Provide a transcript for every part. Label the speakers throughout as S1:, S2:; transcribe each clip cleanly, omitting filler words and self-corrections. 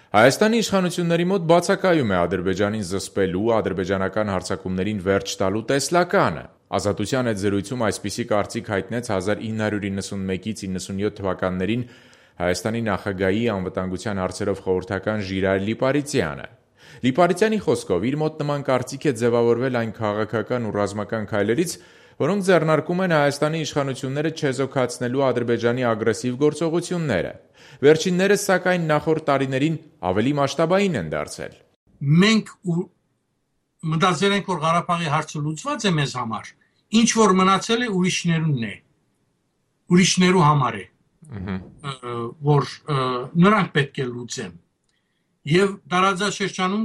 S1: Հայաստանի իշխանությունների մոտ բացակայում է Ադրբեջանին զսպելու, ադրբեջանական հարձակումներին վերջ տալու տեսլականը։ Ազատության հետ զրույցում այսպիսի կարծիք հայտնեց 1991-ից 97 թվականներին Հայաստանի նախագահի անվտանգության հարցերով խորհրդական Ժիրայր Լիպարիցյանը։ Լիպարիցյանի խոսքով իր մոտ նման կարծիք է ձևավորվել այն քաղաքական ու ռազմական քայլերից, որոնք ձեռնարկում են Հայաստանի իշխանությունները չեզոքացնելու Ադրբեջանի ագրեսիվ գործողությունները։ Վերջիններս, սակայն, նախորդ տարիներին ավելի մասշտաբային են դարձել։
S2: Մենք մտածել ենք, որ Ղարաբաղի հարցը լուծված է մեզ համար, ինչ որ մնացել է ուրիշներու համար է, որ նրանք պետք է լուծեն։ Եվ տարածաշրջանում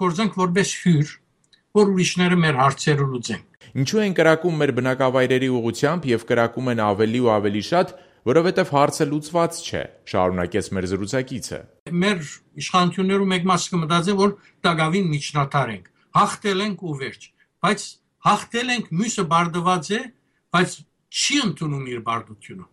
S2: կորձենք որպես հյուր, որ ուրիշները մեր հարցերը լուծեն։
S1: Ինչու են կրակում մեր բնակավայրերի ուղղությամբ եւ կրակում են ավելի ու ավելի շատ, որովհետեւ հարցը լուծված չէ, շարունակեց մեր զրուցակիցը։
S2: Մեր իշխանություններու մեկ մասը կմտածեն, որ դակավին միջնատար ենք, հաղթել ենք ու վերջ, բայց հաղթել ենք, մյուսը բարդված է, բայց չի ընդունում իր բարդությունը։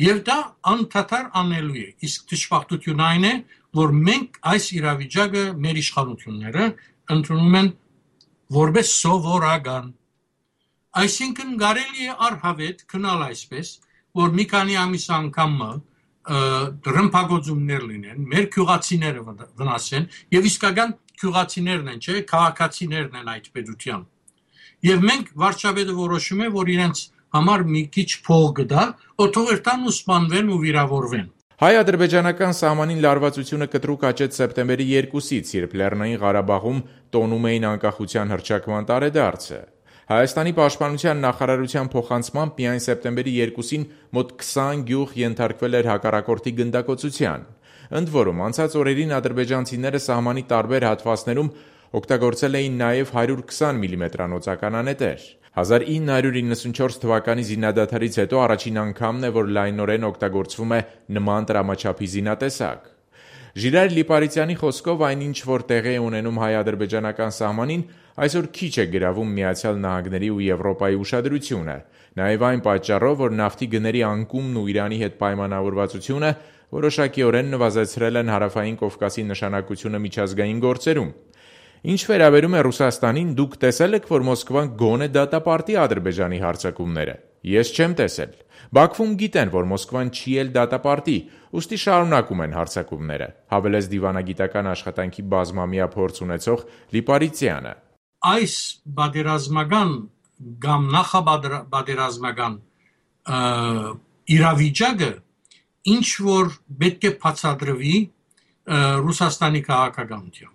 S2: Եվ դա անդադար անելու է, իսկ դժբախտությունն այն է, որ մենք այս իրավիճակը մեր իշխանությունները ընդունում են որպես սովորական։ Այսինքն կարելի է առհավետ քնալ այսպես, որ մի քանի ամիս անգամ ռմբակոծումներ լինեն, մեր քյուղացիները վնասեն, եւ իսկական քյուղացիներն են, չէ, քաղաքացիներն են այդ պետության։ Եվ մենք վարչապետը որոշում է, որ իրենց համար մի քիչ փող կդա, օթողերտան ու սպանվեն ու վիրավորվեն։
S1: Հայ-ադրբեջանական սահմանին լարվածությունը կտրուկ աճեց սեպտեմբերի 2-ից, երբ Լեռնային Ղարաբաղում տոնում էին անկախության հռչակման տարեդարձը։ Հայաստանի պաշտպանության նախարարության փոխանցմամբ միայն սեպտեմբերի 2-ին մոտ 20 գյուղ ենթարկվել էր հակառակորդի գնդակոծության։ Ընդ որում, անցած օրերին ադրբեջանցիները սահմանի տարբեր հատվածներում օգտագործել էին նաև 120 մմ օծականանետեր։ 1994 թվականի զինադադարից հետո առաջին անգամն է, որ լայնորեն օգտագործվում է նման տրամաչափի զինատեսակ։ Ժիրայր Լիպարիցյանի խոսքով այն ինչ որ տեղի է ունենում հայ-ադրբեջանական սահմանին, այսօր քիչ է գրավում Միացյալ Նահանգների ու Եվրոպայի ուշադրությունը, նաև այն պատճառով, որ նավթի գների անկումն ու Իրանի հետ պայմանավորվածությունը որոշակիորեն նվազեցրել են Հարավային Կովկասի նշանակությունը միջազգային գործերում։ Ինչ վերաբերում է Ռուսաստանին, դուք տեսել եք, որ Մոսկվան գոնե դատապարտի Ադրբեջանի հարձակումները։ Ես չեմ տեսել։ Բաքվում գիտեն, որ Մոսկվան չի էլ դատապարտի, ուստի շարունակում են հարձակումները, հավելեց դիվանագիտական աշխատանքի բազմամյա փորձ ունեցող Լիպարիցյանը։
S2: Այս բادرազմական կամ նախաբادرազմական իրավիճակը ինչ որ պետք է բացատրվի Ռուսաստանի քաղաքականությամբ։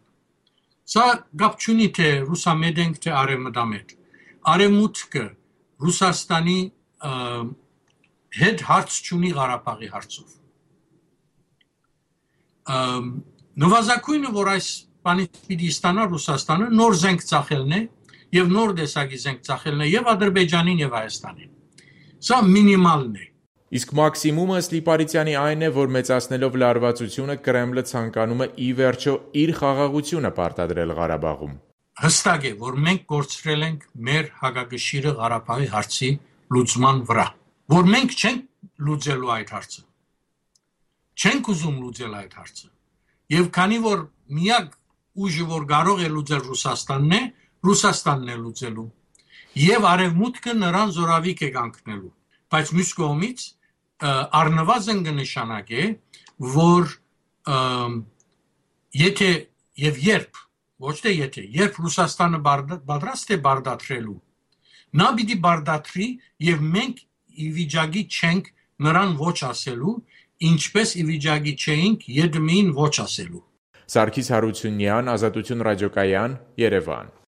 S2: Սա գապ չունի թե ռուսամետ ենք, թե արևմտամետ։ Արևմուտքը Ռուսաստանի հետ հարց չունի Ղարաբաղի հարցով։ Նվազագույնը, որ այս բանից պիտի ստանա Ռուսաստանը, նոր զենք ծախելն է եւ նոր տեսակի զենք ծախելն է եւ Ադրբեջանին եւ Հայաստանին։ Սա մինիմալն է։
S1: Իսկ մաքսիմումը Լիպարիցյանի այն է, որ մեծացնելով լարվածությունը Կրեմլը ցանկանում է ի վերջո իր խաղաղությունը պարտադրել Ղարաբաղում։
S2: Հստակ է, որ մենք կորցրել ենք մեր հակակշիռը Ղարաբաղի հարցի լուծման վրա, որ մենք չենք լուծելու այդ հարցը։ Չենք ուզում լուծել այդ հարցը։ Եվ քանի որ միակ ուժը, որ կարող է լուծել Ռուսաստանն է լուծելու։ Եվ արևմուտքը նրան զորավիք է կանգնելու։ Բայց մյուս կողմից առնվազն կնշանակե, որ եթե եւ երբ, ոչ թե եթե, երբ Ռուսաստանը պատրաստ է բարդացրելու, նա պիտի բարդացրի եւ մենք ի վիճակի չենք նրան ոչ ասելու, ինչպես ի վիճակի չէինք ԵԴՄ-ին ոչ ասելու։
S1: Սարգիս Հարությունյան, Ազատություն ռադիոկայան, Երևան։